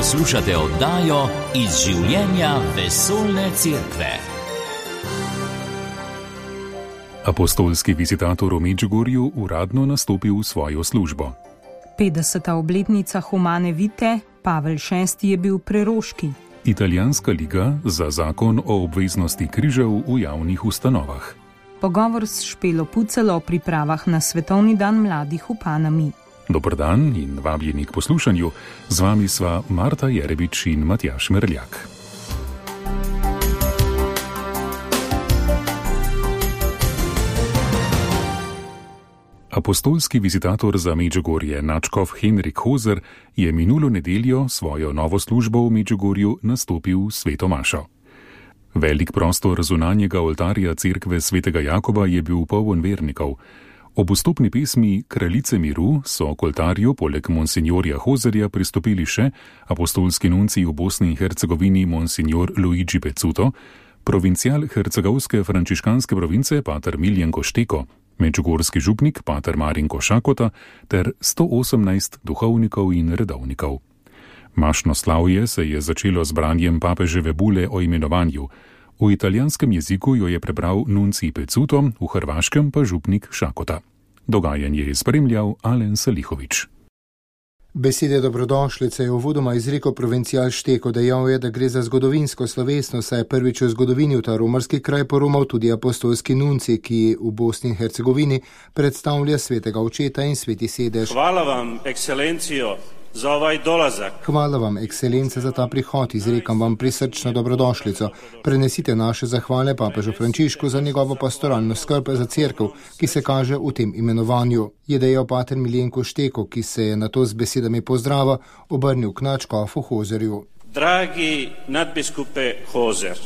Poslušate oddajo Iz življenja vesoljne cerkve. Apostolski vizitator v Medžugorju uradno nastopil v svojo službo. 50. obletnica Humane Vitae, Pavel VI je bil preroški. Italijanska liga za zakon o obveznosti križev v javnih ustanovah. Pogovor s Špelo Pucelo o pripravah na Svetovni dan mladih v Panami. Dober dan in vabljeni k poslušanju. Z vami sva Marta Jerebič in Matjaž Merljak. Apostolski vizitator za Medžugorje nadškof Henrik Hozer je minulo nedeljo svojo novo službo v Medžugorju nastopil sveto mašo. Velik prostor zunanjega oltarja cerkve svetega Jakoba je bil poln vernikov. Ob vstopni pesmi Kraljice miru so k oltarju poleg monsinjorja Hozerja pristopili še apostolski nuncij v Bosni in Hercegovini monsinjor Luigi Pezzuto, provincial hercegovske frančiškanske province pater Miljenko Šteko, medžugorski župnik pater Marinko Šakota ter 118 duhovnikov in redovnikov. Mašno slavje se je začelo z branjem papeževe bule o imenovanju. V italijanskem jeziku jo je prebral nuncij Pezzuto, v hrvaškem pa župnik Šakota. Dogajanje je spremljal Alen Salihovič. Besede dobrodošlice je uvodoma izrekel provincial Šteko, dejal je, da gre za zgodovinsko slovesnost, saj je prvič v zgodovini v ta romarski kraj poromal tudi apostolski nuncij, ki v Bosni in Hercegovini predstavlja svetega očeta in sveti sedež. Hvala vam, ekscelencijo, za ovaj dolazak. Hvala vam, ekscelence, za ta prihod, izrekam vam prisrčno dobrodošlico. Prenesite naše zahvale papežu Frančišku za njegovo pastoralno skrb za cerkev, ki se kaže v tem imenovanju, je dejal pater Miljenko Šteko, ki se je nato z besedami pozdrava obrnil k nadškofu Hozerju. Dragi nadbiskupe Hozer,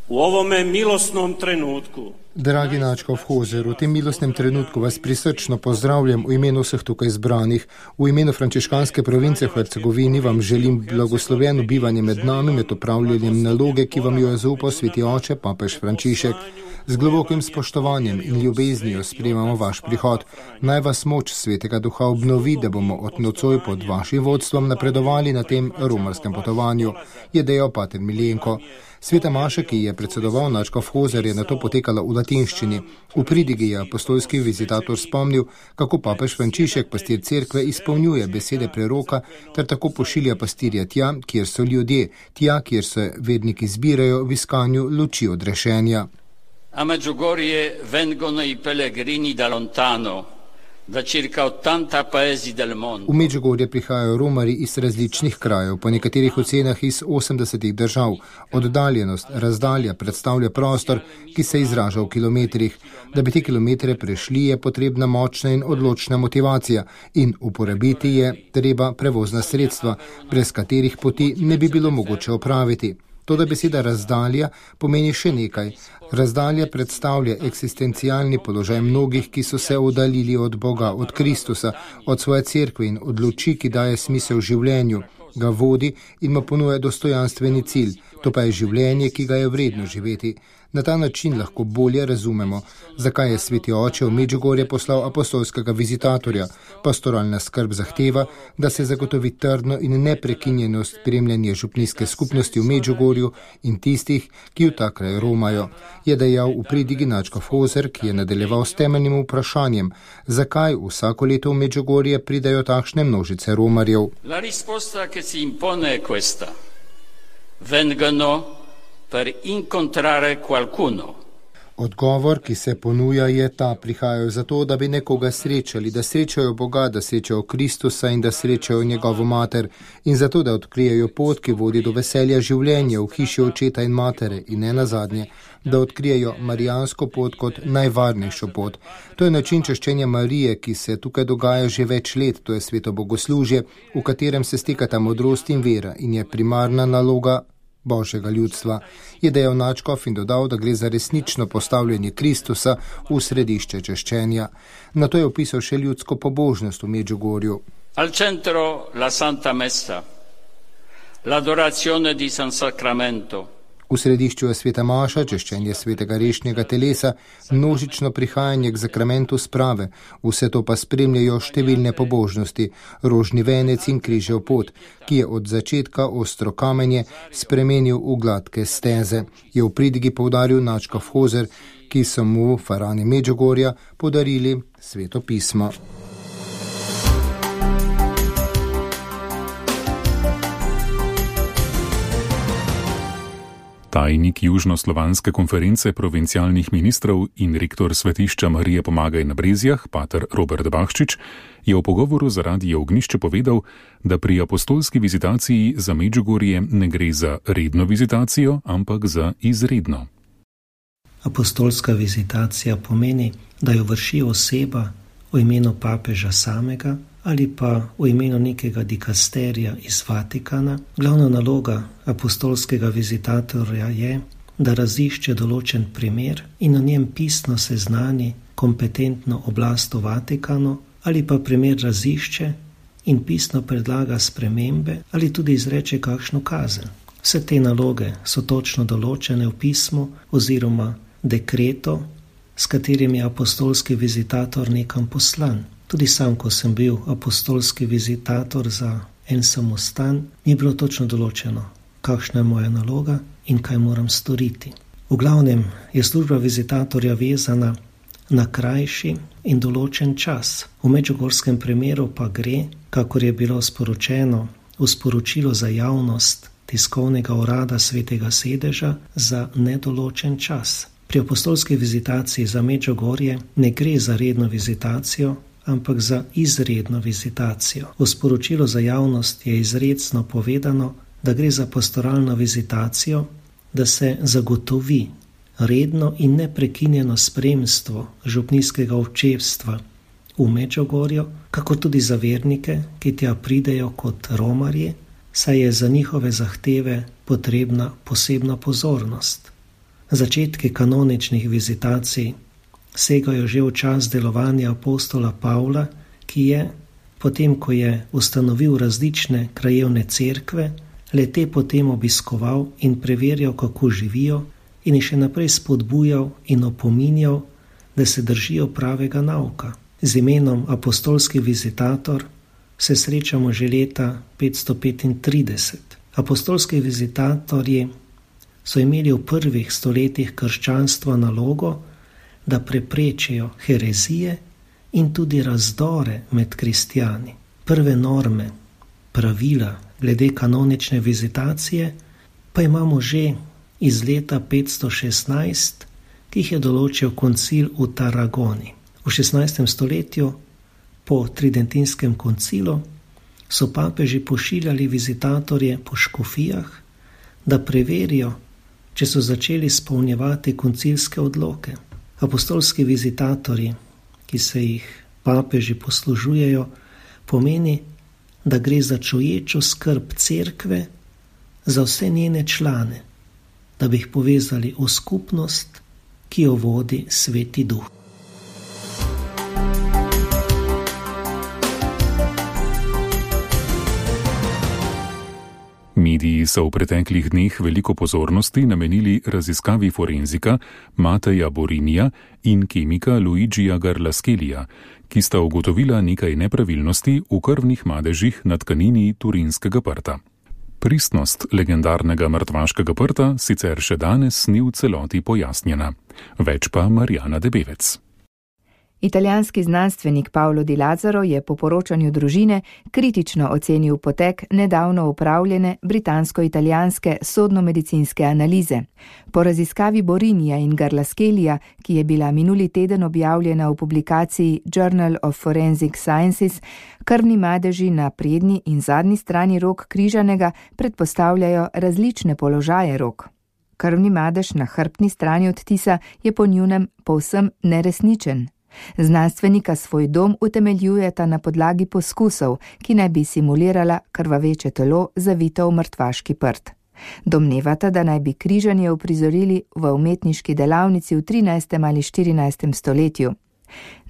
v ovome milostnom trenutku. Dragi nadškof Hozer, v tem milostnem trenutku vas prisrčno pozdravljam v imenu vseh tukaj zbranih. V imenu frančiškanske province v Hercegovini vam želim blagosloveno bivanje med nami, med opravljanjem naloge, ki vam jo je zaupal sveti oče, papež Frančišek. Z globokim spoštovanjem in ljubeznijo sprejemamo vaš prihod. Naj vas moč svetega duha obnovi, da bomo od nocoj pod vašim vodstvom napredovali na tem romarskem potovanju, je dejal pater Miljenko. Sveta maša, ki je predsedoval nadškof Hozer, je nato potekala v latinščini. V pridigi je apostolski vizitator spomnil, kako papež Frančišek, pastir cerkve, izpolnjuje besede preroka ter tako pošilja pastirja tja, kjer so ljudje, tja, kjer se verniki zbirajo v iskanju luči odrešenja. A Medjugorje vengono i pellegrini da lontano, da circa 80 paesi del mondo. V Medjugorje prihajajo romari iz različnih krajev, po nekaterih ocenah iz 80 držav. Oddaljenost, razdalja predstavlja prostor, ki se izraža v kilometrih. Da bi te kilometre prešli, je potrebna močna in odločna motivacija in uporabiti je treba prevozna sredstva, brez katerih poti ne bi bilo mogoče opraviti. Toda beseda razdalja pomeni še nekaj. Razdalja predstavlja eksistencialni položaj mnogih, ki so se oddaljili od Boga, od Kristusa, od svoje cerkve in od luči, ki daje smisel življenju, ga vodi in mu ponuja dostojanstveni cilj. To pa je življenje, ki ga je vredno živeti. Na ta način lahko bolje razumemo, zakaj je sveti oče v Medjugorje poslal apostolskega vizitatorja. Pastoralna skrb zahteva, da se zagotovi trdno in neprekinjeno spremljanje župnijske skupnosti v Medjugorju in tistih, ki v ta kraj romajo, je dejal v pridigi nadškof Hozer, ki je nadaljeval s temeljnim vprašanjem, zakaj vsako leto v Medjugorje pridajo takšne množice romarjev. La risposta che si impone è questa. Vengono per incontrare qualcuno. Odgovor, ki se ponuja, je ta: prihajajo zato, da bi nekoga srečali, da srečajo Boga, da srečajo Kristusa in da srečajo njegovo mater, in zato, da odkrijejo pot, ki vodi do veselja življenja v hiši očeta in matere, in ne nazadnje, da odkrijejo marijansko pot kot najvarnejšo pot. To je način češčenja Marije, ki se tukaj dogaja že več let, to je sveto bogoslužje, v katerem se stekata modrost in vera in je primarna naloga Božjega ljudstva, je dejal nadškof in dodal, da gre za resnično postavljanje Kristusa v središče češčenja. Nato je opisal še ljudsko pobožnost v Medjugorju. Al centro la Santa Messa, l'adorazione di San Sacramento. V središču je sveta maša, češčenje svetega rešnjega telesa, množično prihajanje k zakramentu sprave, vse to pa spremljajo številne pobožnosti, rožni venec in križev pot, ki je od začetka ostro kamenje spremenil v gladke steze, je v pridigi poudaril nadškof Hozer, ki so mu farani Medžugorja podarili sveto pismo. Tajnik Južnoslovanske konference provincialnih ministrov in rektor svetišča Marije Pomagaj na Brezjah, pater Robert Bahčič, je v pogovoru za Radio Ognjišče povedal, da pri apostolski vizitaciji za Medžugorje ne gre za redno vizitacijo, ampak za izredno. Apostolska vizitacija pomeni, da jo vrši oseba v imenu papeža samega ali pa v imenu nekega dikasterija iz Vatikana. Glavna naloga apostolskega vizitatorja je, da razišče določen primer in o njem pisno seznani kompetentno oblast v Vatikanu ali pa primer razišče in pisno predlaga spremembe ali tudi izreče kakšno kazen. Vse te naloge so točno določene v pismu oziroma dekretu, s katerim je apostolski vizitator nekam poslan. Tudi sam, ko sem bil apostolski vizitator za en samostan, mi je bilo točno določeno, kakšna je moja naloga in kaj moram storiti. V glavnem je služba vizitatorja vezana na krajši in določen čas. V medžugorskem primeru pa gre, kakor je bilo sporočeno v sporočilu za javnost tiskovnega urada Svetega sedeža, za nedoločen čas. Pri apostolski vizitaciji za Medžugorje ne gre za redno vizitacijo, ampak za izredno vizitacijo. V sporočilu za javnost je izrecno povedano, da gre za pastoralno vizitacijo, da se zagotovi redno in neprekinjeno spremstvo župnijskega občevstva v Medžugorju, kako tudi za vernike, ki tja pridejo kot romarji, saj je za njihove zahteve potrebna posebna pozornost. Začetki kanoničnih vizitacij segajo že v čas delovanja apostola Pavla, ki je, potem ko je ustanovil različne krajevne cerkve, le-te potem obiskoval in preverjal, kako živijo, in jih še naprej spodbujal in opominjal, da se držijo pravega nauka. Z imenom apostolski vizitator se srečamo že leta 535. Apostolski vizitatorji so imeli v prvih stoletjih krščanstva nalogo, da preprečijo herezije in tudi razdore med kristjani. Prve norme, pravila glede kanonične vizitacije pa imamo že iz leta 516, ki jih je določil koncil v Tarragoni. V 16. stoletju, po tridentinskem koncilu, so papeži pošiljali vizitatorje po škofijah, da preverijo, če so začeli izpolnjevati koncilske odloke. Apostolski vizitatorji, ki se jih papeži poslužujejo, pomeni, da gre za čuječo skrb cerkve za vse njene člane, da bi jih povezali v skupnost, ki jo vodi Sveti Duh. Mediji so v preteklih dneh veliko pozornosti namenili raziskavi forenzika Mateja Borinija in kemika Luigija Garlaskelija, ki sta ugotovila nekaj nepravilnosti v krvnih madežih na tkanini Turinskega prta. Pristnost legendarnega mrtvaškega prta sicer še danes ni v celoti pojasnjena. Več pa Marjana Debevec. Italijanski znanstvenik Paolo Di Lazzaro je po poročanju družine kritično ocenil potek nedavno opravljene britansko-italijanske sodno-medicinske analize. Po raziskavi Borinija in Garlaskelija, ki je bila minuli teden objavljena v publikaciji Journal of Forensic Sciences, krvni madeži na prednji in zadnji strani rok križanega predpostavljajo različne položaje rok. Krvni madež na hrbtni strani odtisa je po njunem povsem neresničen. Znanstvenika svoj dom utemeljujeta na podlagi poskusov, ki naj bi simulirala krvaveče telo zavito v mrtvaški prt. Domnevata, da naj bi križanje uprizorili v umetniški delavnici v 13. ali 14. stoletju.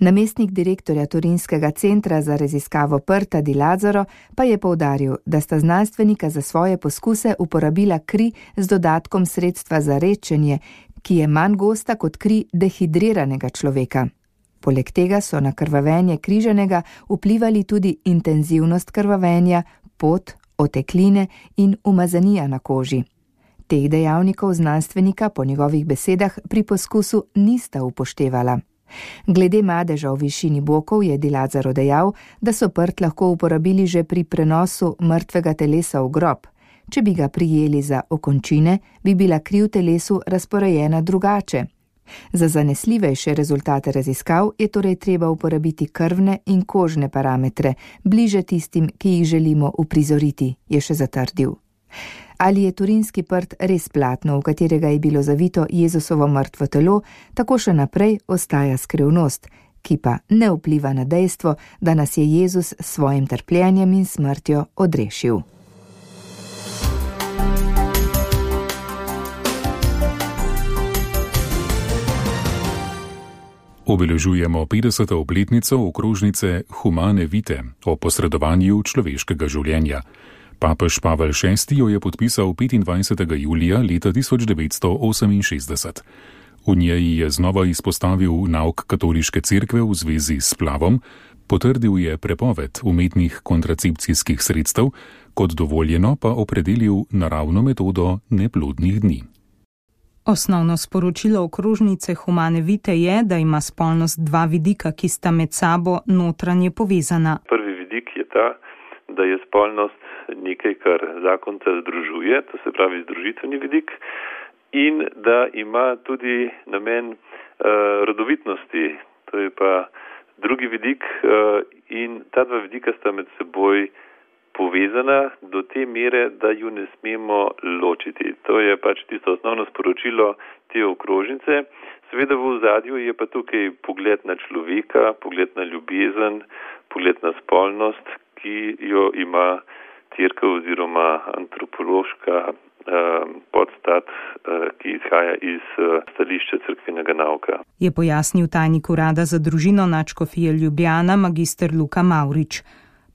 Namestnik direktorja Torinskega centra za raziskavo prta Di Lazzaro pa je poudaril, da sta znanstvenika za svoje poskuse uporabila kri z dodatkom sredstva za redčenje, ki je manj gosta kot kri dehidriranega človeka. Poleg tega so na krvavenje križanega vplivali tudi intenzivnost krvavenja, pot, otekline in umazanija na koži. Teh dejavnikov znanstvenika po njegovih besedah pri poskusu nista upoštevala. Glede madeža v višini bokov je Di Lazzaro dejal, da so prt lahko uporabili že pri prenosu mrtvega telesa v grob. Če bi ga prijeli za okončine, bi bila kri v telesu razporejena drugače. Za zanesljivejše rezultate raziskav je torej treba uporabiti krvne in kožne parametre, bliže tistim, ki jih želimo uprizoriti, je še zatrdil. Ali je turinski prt res platno, v katerega je bilo zavito Jezusovo mrtvo telo, tako še naprej ostaja skrivnost, ki pa ne vpliva na dejstvo, da nas je Jezus s svojim trpljenjem in smrtjo odrešil. Obeležujemo 50. obletnico okrožnice Humane Vitae o posredovanju človeškega življenja. Papež Pavel VI jo je podpisal 25. julija leta 1968. V njej je znova izpostavil nauk katoliške cerkve v zvezi s splavom, potrdil je prepoved umetnih kontracepcijskih sredstev, kot dovoljeno pa opredelil naravno metodo neplodnih dni. Osnovno sporočilo okrožnice Humane Vitae je, da ima spolnost dva vidika, ki sta med sabo notranje povezana. Prvi vidik je ta, da je spolnost nekaj, kar zakonca združuje, to se pravi združitveni vidik, in da ima tudi namen rodovitnosti, to je pa drugi vidik, in ta dva vidika sta med seboj povezana do te mere, da ju ne smemo ločiti. To je pač tisto osnovno sporočilo te okrožnice. Seveda v ozadju je pa tukaj pogled na človeka, pogled na ljubezen, pogled na spolnost, ki jo ima cerkev oziroma antropološka podstat, ki izhaja iz stališča cerkvenega nauka. Je pojasnil tajnik urada za družino nadškofije Ljubljana magister Luka Mavrič.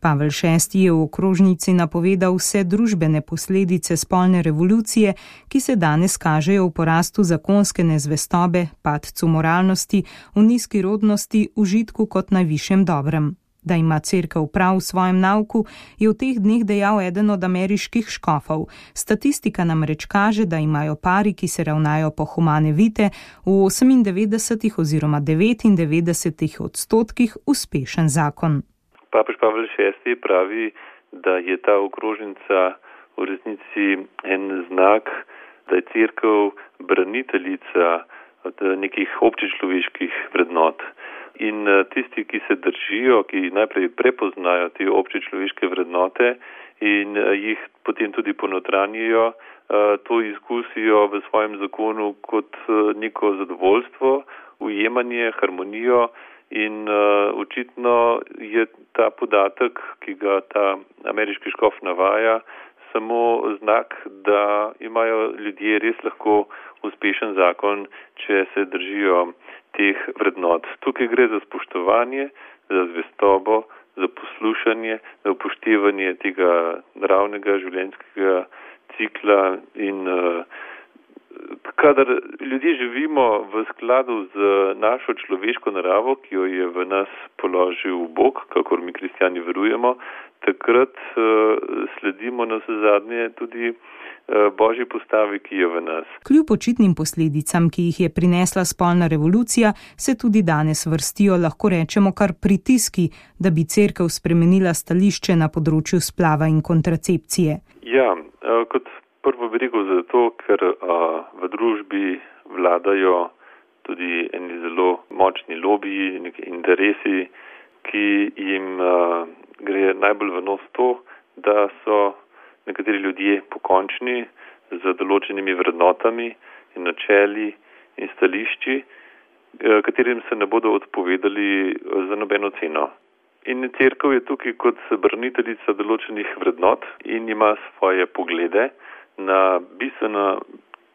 Pavel VI je v okrožnici napovedal vse družbene posledice spolne revolucije, ki se danes kažejo v porastu zakonske nezvestobe, padcu moralnosti, v nizki rodnosti, užitku kot najvišjem dobrem. Da ima cerkev prav v svojem nauku, je v teh dneh dejal eden od ameriških škofov. Statistika namreč kaže, da imajo pari, ki se ravnajo po Humane Vitae, v 98 oziroma 99% uspešen zakon. Papež Pavel VI pravi, da je ta okrožnica v resnici en znak, da je cerkev braniteljica nekih občečloveških vrednot. In tisti, ki se držijo, ki najprej prepoznajo te občečloveške vrednote in jih potem tudi ponotranjijo, to izkusijo v svojem zakonu kot neko zadovoljstvo, ujemanje, harmonijo. In očitno je ta podatek, ki ga ta ameriški škof navaja, samo znak, da imajo ljudje res lahko uspešen zakon, če se držijo teh vrednot. Tukaj gre za spoštovanje, za zvestobo, za poslušanje, za upoštevanje tega naravnega življenjskega cikla in kadar ljudje živimo v skladu z našo človeško naravo, ki jo je v nas položil Bog, kakor mi kristjani verujemo, takrat sledimo navsezadnje tudi Božji postavi, ki je v nas. Kljub očitnim posledicam, ki jih je prinesla spolna revolucija, se tudi danes vrstijo, lahko rečemo, kar pritiski, da bi cerkev spremenila stališče na področju splava in kontracepcije. Ja, kot prvo bi rekel zato, ker v družbi vladajo tudi eni zelo močni lobiji, neki interesi, ki jim gre najbolj v nos to, da so nekateri ljudje pokončni z določenimi vrednotami in načeli in stališči, katerim se ne bodo odpovedali za nobeno ceno. In cerkev je tukaj kot braniteljica določenih vrednot in ima svoje poglede na bistveno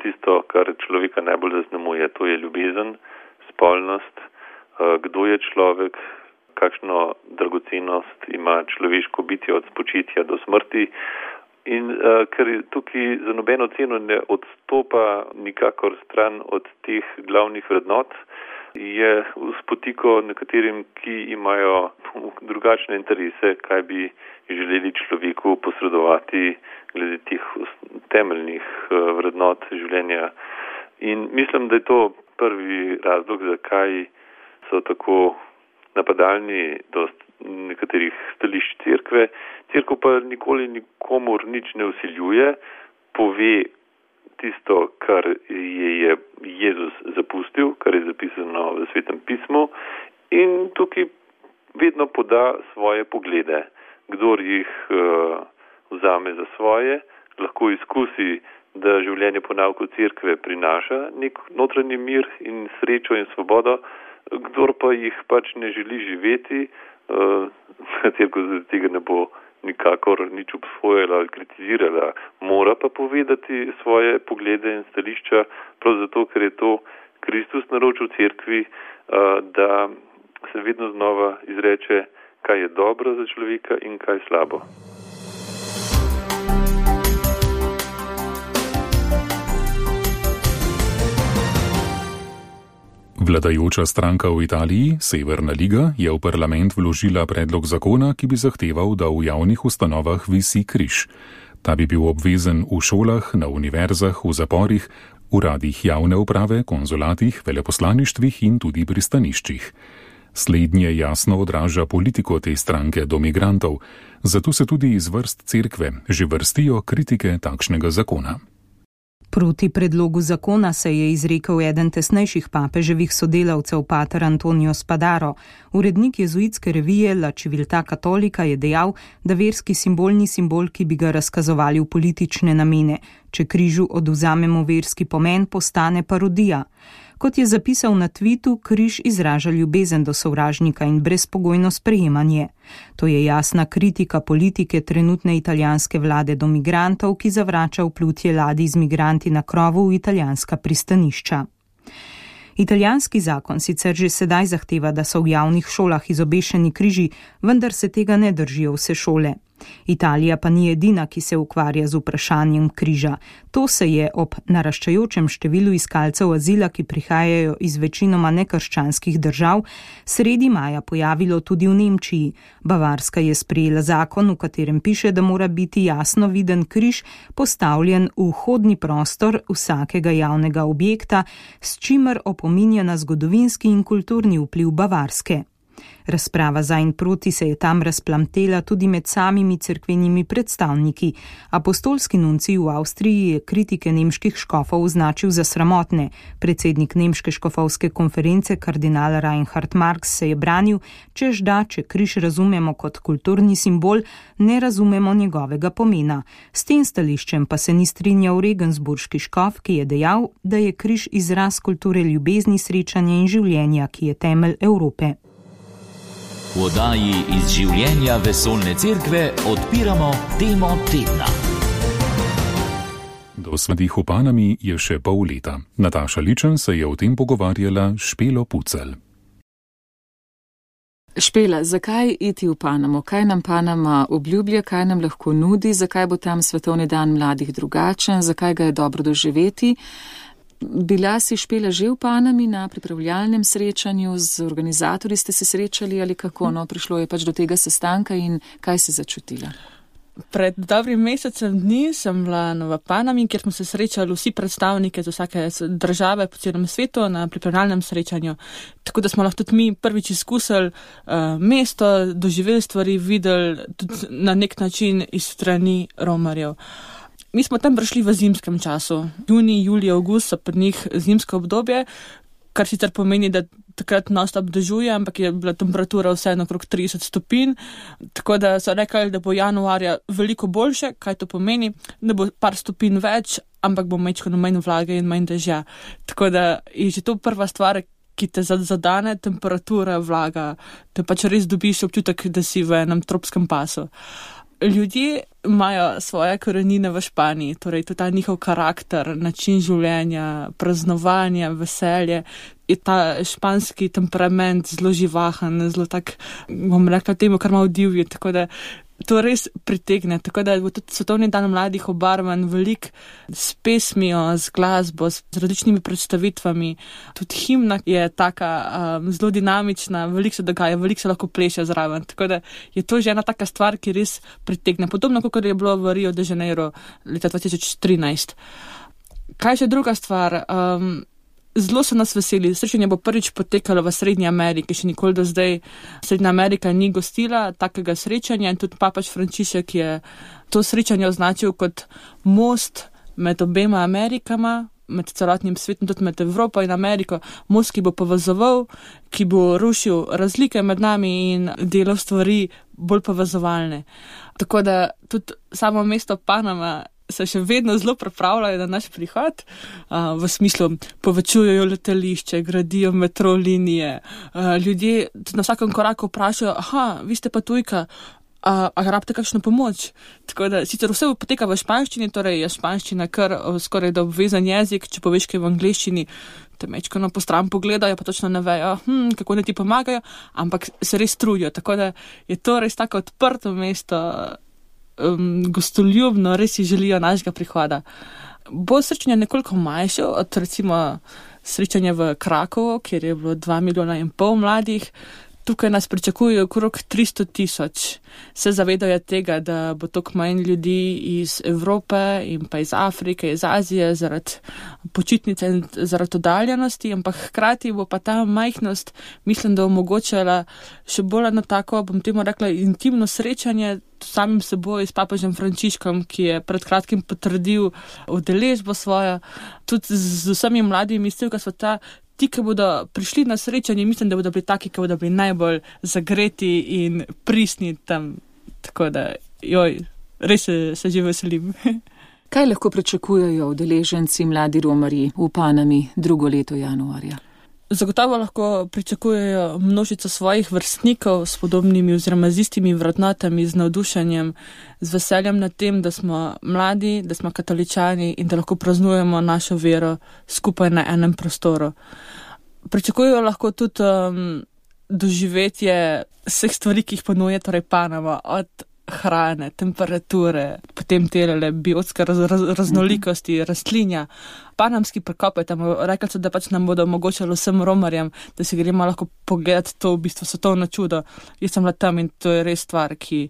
tisto, kar človeka najbolj zaznamuje, to je ljubezen, spolnost, kdo je človek, kakšno dragocenost ima človeško bitje od spočitja do smrti. In ker tukaj za nobeno ceno ne odstopa nikakor stran od teh glavnih vrednot, je spotiko nekaterim, ki imajo drugačne interese, kaj bi želeli človeku posredovati glede teh temeljnih vrednot življenja. In mislim, da je to prvi razlog, zakaj so tako napadalni do nekaterih stališč cerkve. Cerkev pa nikoli nikomur nič ne vsiljuje, pove tisto, kar je Jezus zapustil, kar je zapisano v Svetem pismu, in tukaj vedno poda svoje poglede. Kdor jih vzame za svoje, lahko izkusi, da življenje po nauku cerkve prinaša nek notranji mir in srečo in svobodo, kdor pa jih pač ne želi živeti, cerkev zaradi tega ne bo nikakor nič obsojala ali kritizirala. Mora pa povedati svoje poglede in stališča, prav zato, ker je to Kristus naročil cerkvi, da se vedno znova izreče, kaj je dobro za človeka in kaj slabo. Vladajoča stranka v Italiji, Severna liga, je v parlament vložila predlog zakona, ki bi zahteval, da v javnih ustanovah visi križ. Ta bi bil obvezen v šolah, na univerzah, v zaporih, uradih javne uprave, konzulatih, veleposlaništvih in tudi pristaniščih. Slednje jasno odraža politiko te stranke do migrantov, zato se tudi iz vrst cerkve že vrstijo kritike takšnega zakona. Proti predlogu zakona se je izrekel eden tesnejših papeževih sodelavcev, pater Antonio Spadaro. Urednik jezuitske revije La Civiltà Cattolica je dejal, da verski simbol ni simbol, ki bi ga razkazovali v politične namene. Če križu odvzamemo verski pomen, postane parodija. Kot je zapisal na tvitu, križ izraža ljubezen do sovražnika in brezpogojno sprejemanje. To je jasna kritika politike trenutne italijanske vlade do migrantov, ki zavrača vplutje ladij z migranti na krovu v italijanska pristanišča. Italijanski zakon sicer že sedaj zahteva, da so v javnih šolah izobešeni križi, vendar se tega ne držijo vse šole. Italija pa ni edina, ki se ukvarja z vprašanjem križa. To se je ob naraščajočem številu iskalcev azila, ki prihajajo iz večinoma nekrščanskih držav, sredi maja pojavilo tudi v Nemčiji. Bavarska je sprejela zakon, v katerem piše, da mora biti jasno viden križ postavljen v vhodni prostor vsakega javnega objekta, s čimer opominja na zgodovinski in kulturni vpliv Bavarske. Razprava za in proti se je tam razplamtela tudi med samimi cerkvenimi predstavniki. Apostolski nuncij v Avstriji je kritike nemških škofov označil za sramotne. Predsednik nemške škofovske konference kardinal Reinhard Marx se je branil, češ da, če križ razumemo kot kulturni simbol, ne razumemo njegovega pomena. S tem stališčem pa se ni strinjal regensburški škof, ki je dejal, da je križ izraz kulture ljubezni, srečanja in življenja, ki je temelj Evrope. V oddaji iz življenja vesoljne cerkve odpiramo temo tedna. Do svetih v Panami je še pol leta. Nataša Ličen se je o tem pogovarjala s Špelo Pucelj. Špela, zakaj iti v Panamo? Kaj nam Panama obljublja, kaj nam lahko nudi, zakaj bo tam svetovni dan mladih drugačen, zakaj ga je dobro doživeti? Bila si, Špela, že v Panami na pripravljalnem srečanju, z organizatorji ste se srečali ali kako? No, prišlo je pač do tega sestanka in kaj si začutila? Pred dobrim mesecem dni sem bila v Panami, kjer smo se srečali vsi predstavniki z vsake države po celem svetu na pripravljalnem srečanju. Tako da smo lahko tudi mi prvič izkusili mesto, doživeli stvari, videli tudi na nek način iz strani romarjev. Mi smo tam prišli v zimskem času. Junij, julij, avgust so pri njih zimsko obdobje, kar sicer pomeni, da takrat non-stop dežuje, ampak je bila temperatura vseeno okrog 30 stopinj. Tako da so rekli, da bo januarja veliko boljše. Kaj to pomeni? Da bo par stopinj več, ampak bo manj vlage in manj dežja. Tako da je že to prva stvar, ki te zadane, temperatura, vlaga. Te pač res dobiš občutek, da si v enem tropskem pasu. Ljudje imajo svoje korenine v Španiji, torej tudi ta njihov karakter, način življenja, praznovanja, veselje, je ta španski temperament zelo živahen, zelo tak, bom rekla temu, kar malo divji, tako da to res pritegne, tako da bo tudi Svetovni dan mladih obarvan veliko s pesmijo, z glasbo, z različnimi predstavitvami. Tudi himna je taka zelo dinamična, veliko se dogaja, veliko se lahko pleše zraven, tako da je to že ena taka stvar, ki res pritegne. Podobno, kot je bilo v Rio de Janeiro leta 2013. Kaj še druga stvar? Zelo so nas veseli. Srečanje bo prvič potekalo v Srednji Ameriki. Še nikoli do zdaj Srednja Amerika ni gostila takega srečanja in tudi papež Frančišek je to srečanje označil kot most med obema Amerikama, med celotnim svetom, tudi med Evropo in Ameriko. Most, ki bo povezoval, ki bo rušil razlike med nami in delal stvari bolj povezovalne. Tako da tudi samo mesto Panama se še vedno zelo pripravljajo na naš prihod, v smislu povečujejo letališče, gradijo metro linije, ljudje na vsakem koraku vprašajo, vi ste pa tujka, a rabite kakšno pomoč? Tako da sicer vse poteka v španščini, torej je španščina kar skoraj da obvezen jezik, če poveš kaj v angleščini, te mečkano po stran pogledajo, pa točno ne vejo, kako ne ti pomagajo, ampak se res trudijo, tako da je to res tako odprto mesto, gostoljubno, res si želijo našega prihoda. Bo srečanje nekoliko manjše od recimo srečanja v Krakovu, kjer je bilo 2,5 milijona mladih. Tukaj nas pričakujejo okrog 300,000. Se zavedajo tega, da bo toliko manj ljudi iz Evrope in pa iz Afrike, iz Azije zaradi počitnice in zaradi oddaljenosti, ampak hkrati bo pa ta majhnost, mislim, da omogočala še bolj na tako, bom temu rekla, intimno srečanje samim seboj s papežem Frančiškom, ki je pred kratkim potrdil udeležbo svojo, tudi z vsemi mladimi iz celega sveta. Ti, ki bodo prišli na srečanje, mislim, da bodo bili taki, ki bodo bili najbolj zagreti in pristni tam. Tako da, res se že veselim. Kaj lahko pričakujejo udeleženci mladi romarji v Panami drugo leto januarja? Zagotovo lahko pričakujejo množico svojih vrstnikov s podobnimi oziroma z istimi vrednotami, z navdušenjem, z veseljem nad tem, da smo mladi, da smo katoličani in da lahko praznujemo našo vero skupaj na enem prostoru. Pričakujejo lahko tudi doživetje vseh stvari, ki jih ponuja torej Panama, od hrane, temperature, potem telele biotske raznolikosti, rastlinja. Panamski prekop je tam, rekli so, da pač nam bodo omogočali vsem romarjem, da si gremo lahko pogledati to v bistvu svetovno čudo. Jaz sem bila tam in to je res stvar, ki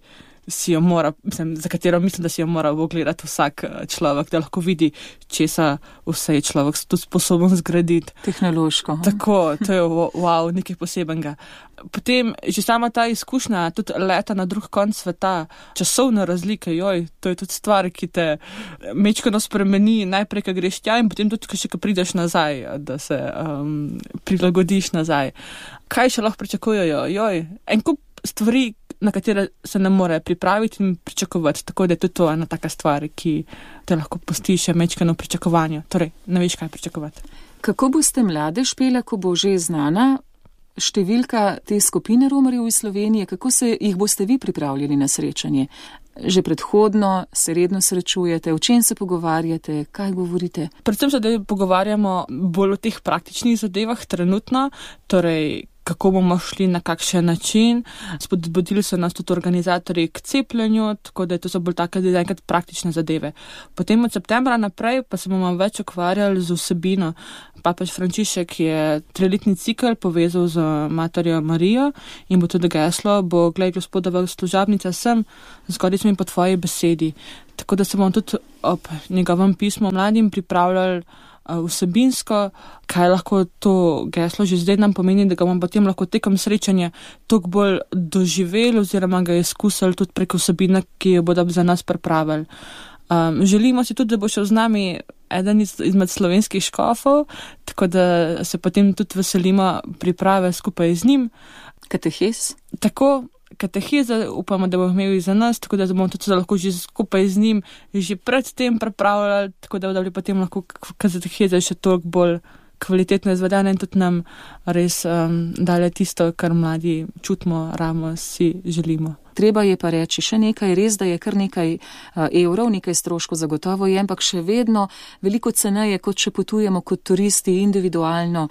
si jo mora, za katero mislim, da si jo mora ogledati vsak človek, da lahko vidi, česa vse je človek tudi sposoben zgraditi. Tehnološko. Tako, to je wow, nekaj posebenega. Potem že sama ta izkušnja, tudi leta na drug konc sveta, časovne razlike, to je tudi stvar, ki te mečkano spremeni, najprej, ko greš tja in potem tudi, ko prideš nazaj, da se prilagodiš nazaj. Kaj še lahko pričakujejo? En kup stvari, na katere se ne more pripraviti in pričakovati, tako da je tudi to ena taka stvar, ki te lahko pusti še mečkano pričakovanju. Torej, ne veš, kaj pričakovati. Kako boste mlade špele, ko bo že znana številka te skupine romarjev iz Slovenije, kako se jih boste vi pripravljali na srečanje? Že predhodno se redno srečujete, o čem se pogovarjate, kaj govorite? Predvsem se pogovarjamo bolj o teh praktičnih zadevah trenutno, torej kako bomo šli na kakšen način. Spodbudili so nas tudi organizatorji k cepljenju, tako da to so bolj take enkrat praktične zadeve. Potem od septembra naprej pa se bomo več ukvarjali z vsebino. Papež Frančišek je 3-letni cikel povezal z Materjo Marijo in bo tudi geslo, bo glej Gospodova služabnica sem, zgodi smo jim po tvoji besedi. Tako da se bomo tudi ob njegovem pismu mladim pripravljali vsebinsko, kaj lahko to geslo že zdaj nam pomeni, da ga bomo potem lahko tekom srečanja toliko bolj doživeli oziroma ga izkusili tudi preko vsebine, ki jo bodo za nas pripravili. Želimo si tudi, da bo šel z nami eden izmed slovenskih škofov, tako da se potem tudi veselimo priprave skupaj z njim. Katehes? Tako, kateheze upamo, da bomo imeli za nas, tako da bomo tudi lahko že skupaj z njim že pred tem pripravljali, tako da bi potem lahko kateheze še toliko bolj kvalitetno izvedene in tudi nam res dale tisto, kar mladi čutimo, ramo, si želimo. Treba je pa reči še nekaj, res, da je kar nekaj evrov, nekaj stroškov zagotovo je, ampak še vedno veliko ceneje, kot če potujemo kot turisti individualno.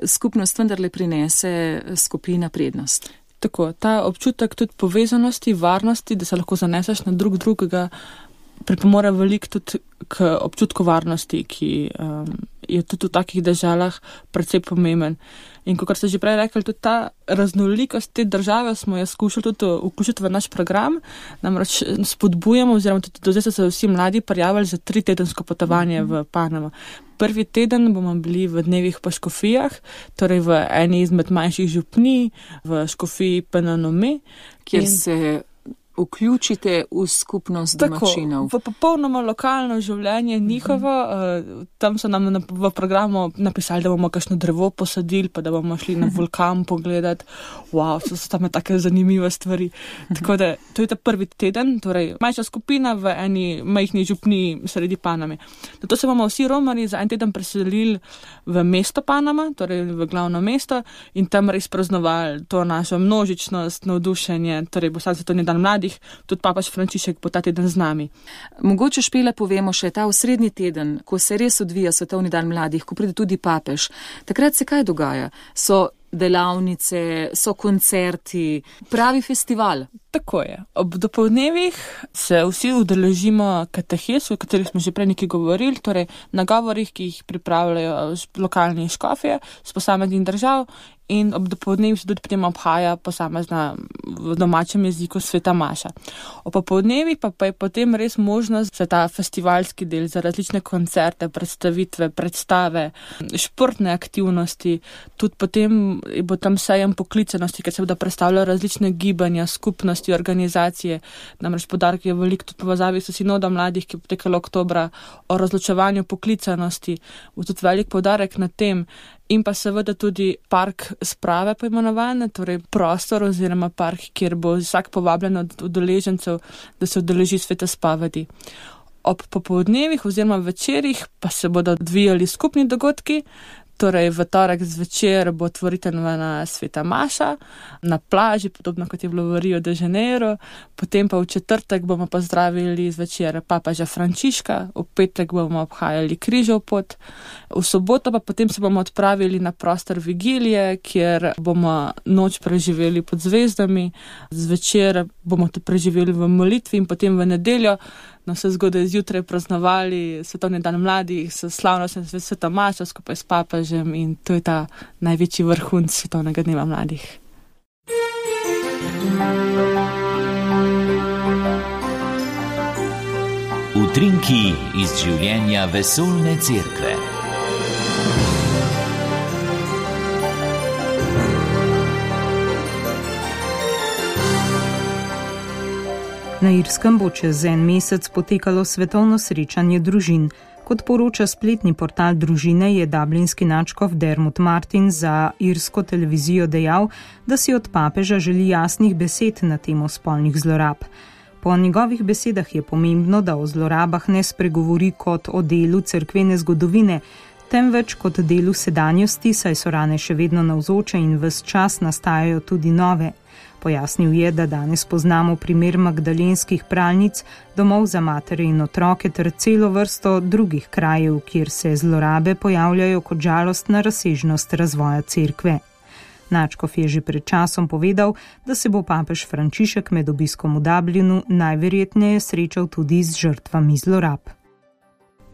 Skupnost vendarle prinese skupina prednost. Tako, ta občutek tudi povezanosti, varnosti, da se lahko zaneseš na drugega, pripomore veliko tudi k občutku varnosti, ki je tudi v takih državah precej pomemben. In kot ste že prej rekli, tudi ta raznolikost te države smo jo skušali tudi vključiti v naš program, namreč spodbujamo oziroma tudi do zdaj so se vsi mladi prijavili za 3-tedensko potovanje v Panamo. Prvi teden bomo bili v dnevih po škofijah, torej v eni izmed manjših župnij, v škofiji Penanome, kjer se vključite v skupnost domačinov. Tako, v popolnoma lokalno življenje njihovo. Tam so nam v programu napisali, da bomo kakšno drevo posadili, pa da bomo šli na vulkan pogledati. Wow, so tam take zanimive stvari. Tako da, to je ta prvi teden, torej manjša skupina v eni majhni župniji sredi Paname. Zato se bomo vsi romarji za en teden preselili v mesto Panama, torej v glavno mesto in tam res praznovali to našo množičnost, navdušenje, torej bo svetovni dan mladih. Tudi papež Frančišek bo ta teden z nami. Mogoče Špela povemo še ta osrednji teden, ko se res odvija svetovni dan mladih, ko pride tudi papež. Takrat se kaj dogaja? So delavnice, so koncerti, pravi festival. Tako je. Ob dopoldnevih se vsi udeležimo katehes, o katerih smo že prej nekaj govorili, torej nagovorih, ki jih pripravljajo lokalni škofje z posameznih držav in ob dopoldnevih se tudi potem obhaja posamezna v domačem jeziku sveta maša. Ob popoldnevih pa je potem res možnost za ta festivalski del, za različne koncerte, predstavitve, predstave, športne aktivnosti, tudi potem bo tam sejem poklicanosti, ker se bodo predstavljali različne gibanja, skupnosti, organizacije. Namreč poudarek je veliko tudi povezavi s sinodom mladih, ki je potekalo oktobra, o razločevanju poklicanosti. Bo tudi velik poudarek na tem. In pa seveda tudi park sprave poimenovane, torej prostor oziroma park, kjer bo vsak povabljen od udeležencev, da se udeleži svete spovedi. Ob popoldnevih oziroma večerih pa se bodo odvijali skupni dogodki, torej v torek zvečer bo otvoritvena sveta maša na plaži, podobno kot je bilo v Rio de Janeiro, potem pa v četrtek bomo pozdravili zvečer papeža Frančiška, v petek bomo obhajali križev pot, v soboto pa potem se bomo odpravili na prostor vigilije, kjer bomo noč preživeli pod zvezdami, zvečer bomo to preživeli v molitvi in potem v nedeljo vse zgodaj zjutraj praznovali svetovni dan mladih s slavnostjo sveta maša skupaj s papežem in to je ta največji vrhunec svetovnega dneva mladih. Utrinki iz življenja vesoljne cerkve. Na Irskem bo čez en mesec potekalo svetovno srečanje družin. Kot poroča spletni portal družine, je dublinski nadškof Dermot Martin za irsko televizijo dejal, da si od papeža želi jasnih besed na temo spolnih zlorab. Po njegovih besedah je pomembno, da o zlorabah ne spregovori kot o delu cerkvene zgodovine, temveč kot delu sedanjosti, saj so rane še vedno navzoče in ves čas nastajajo tudi nove. Pojasnil je, da danes poznamo primer magdalenskih pralnic, domov za matere in otroke ter celo vrsto drugih krajev, kjer se zlorabe pojavljajo kot žalostna razsežnost razvoja cerkve. Nadškof je že pred časom povedal, da se bo papež Frančišek med obiskom v Dublinu najverjetneje srečal tudi z žrtvami zlorab.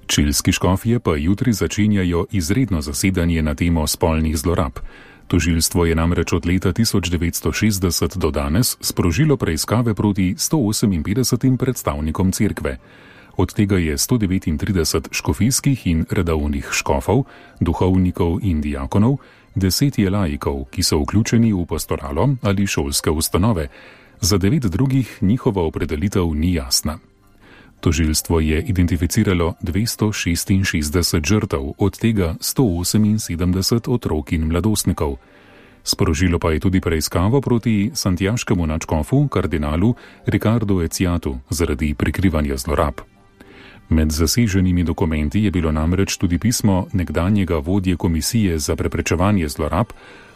Čilski škofje pa jutri začenjajo izredno zasedanje na temo spolnih zlorab. Tožilstvo je namreč od leta 1960 do danes sprožilo preiskave proti 158 predstavnikom cerkve. Od tega je 139 škofijskih in redovnih škofov, duhovnikov in diakonov, 10 je laikov, ki so vključeni v pastoralo ali šolske ustanove. Za 9 drugih njihova opredelitev ni jasna. Tožilstvo je identificiralo 266 žrtev, od tega 178 otrok in mladostnikov. Sprožilo pa je tudi preiskavo proti santiaškemu nadškofu, kardinalu Ricardo Eciatu, zaradi prikrivanja zlorab. Med zaseženimi dokumenti je bilo namreč tudi pismo nekdanjega vodje Komisije za preprečevanje zlorab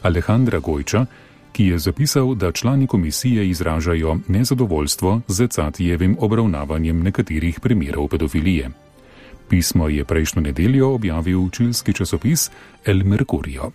Alejandra Gojča, ki je zapisal, da člani komisije izražajo nezadovoljstvo z Ecatijevim obravnavanjem nekaterih primerov pedofilije. Pismo je prejšnjo nedeljo objavil čilski časopis El Mercurio.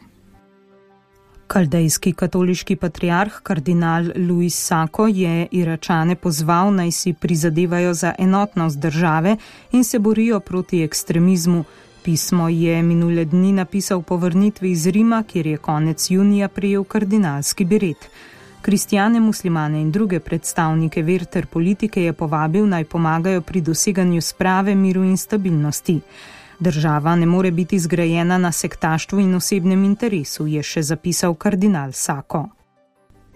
Kaldejski katoliški patriarh kardinal Luis Sako je Iračane pozval, naj si prizadevajo za enotnost države in se borijo proti ekstremizmu. Pismo je minule dni napisal po vrnitvi iz Rima, kjer je konec junija prejel kardinalski beret. Kristjane, muslimane in druge predstavnike ver ter politike je povabil, naj pomagajo pri doseganju sprave, miru in stabilnosti. Država ne more biti zgrajena na sektaštvu in osebnem interesu, je še zapisal kardinal Sako.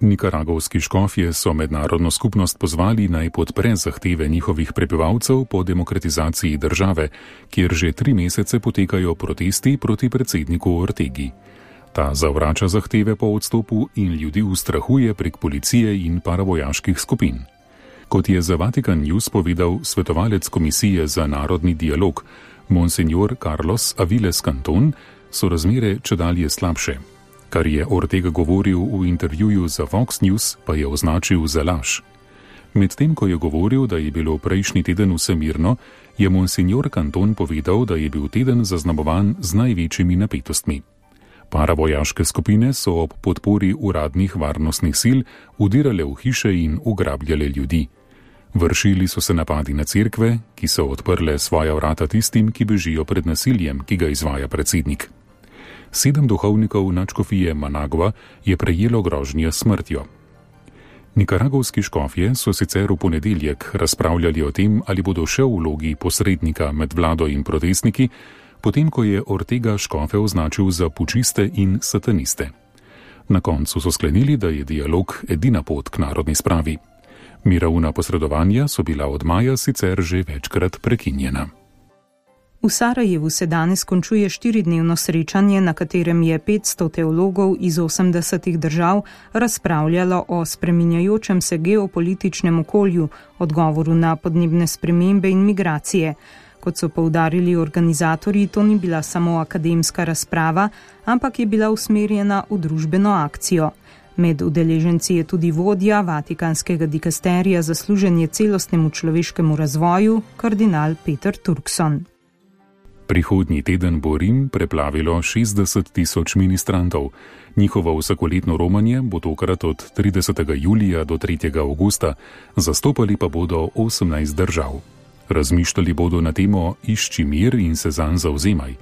Nikaragovski škofje so mednarodno skupnost pozvali, naj podpre zahteve njihovih prebivalcev po demokratizaciji države, kjer že 3 mesece potekajo protesti proti predsedniku Ortegi. Ta zavrača zahteve po odstopu in ljudi ustrahuje prek policije in paravojaških skupin. Kot je za Vatikan News povedal svetovalec Komisije za narodni dialog, Monsignor Carlos Aviles Canton, so razmere čedalje slabše. Kar je Ortega govoril v intervjuju za Fox News, pa je označil za laž. Medtem ko je govoril, da je bilo prejšnji teden vse mirno, je Monsignor Canton povedal, da je bil teden zaznamovan z največjimi napetostmi. Paravojaške skupine so ob podpori uradnih varnostnih sil vdirale v hiše in ugrabljale ljudi. Vršili so se napadi na cerkve, ki so odprle svoja vrata tistim, ki bežijo pred nasiljem, ki ga izvaja predsednik. 7 duhovnikov nadškofije Managua je prejelo grožnje s smrtjo. Nikaragovski škofje so sicer v ponedeljek razpravljali o tem, ali bodo še v vlogi posrednika med vlado in protestniki, potem ko je Ortega škofe označil za pučiste in sataniste. Na koncu so sklenili, da je dialog edina pot k narodni spravi. Mirovna posredovanja so bila od maja sicer že večkrat prekinjena. V Sarajevu se danes končuje 4-dnevno srečanje, na katerem je 500 teologov iz 80 držav razpravljalo o spreminjajočem se geopolitičnem okolju, odgovoru na podnebne spremembe in migracije. Kot so poudarili organizatorji, to ni bila samo akademska razprava, ampak je bila usmerjena v družbeno akcijo. Med udeleženci je tudi vodja Vatikanskega dikasterija za služenje celostnemu človeškemu razvoju, kardinal Peter Turkson. Prihodnji teden bo Rim preplavilo 60 tisoč ministrantov. Njihovo vsakoletno romanje bo tokrat od 30. julija do 3. augusta, zastopali pa bodo 18 držav. Razmišljali bodo na temo Išči mir in se zanj zavzemaj.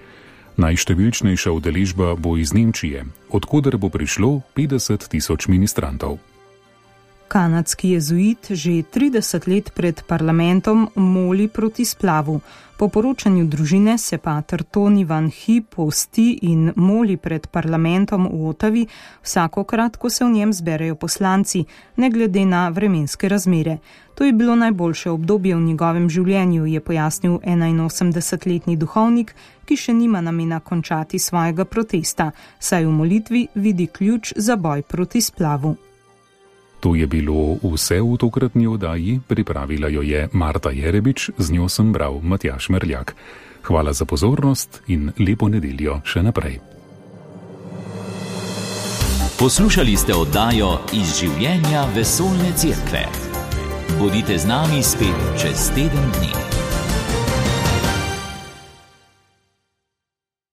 Najštevilčnejša udeležba bo iz Nemčije, odkoder bo prišlo 50 tisoč ministrantov. Kanadski jezuit že 30 let pred parlamentom moli proti splavu. Po poročanju družine se pater Tony Van Hee posti in moli pred parlamentom v Ottawi vsakokrat, ko se v njem zberejo poslanci, ne glede na vremenske razmere. To je bilo najboljše obdobje v njegovem življenju, je pojasnil 81-letni duhovnik, ki še nima namena končati svojega protesta, saj v molitvi vidi ključ za boj proti splavu. To je bilo vse v tokratni oddaji, pripravila jo je Marta Jerebič, z njo sem bral Matjaž Merljak. Hvala za pozornost in lepo nedeljo še naprej. Poslušali ste oddajo Iz življenja vesoljne cerkve. Bodite z nami spet čez teden dni.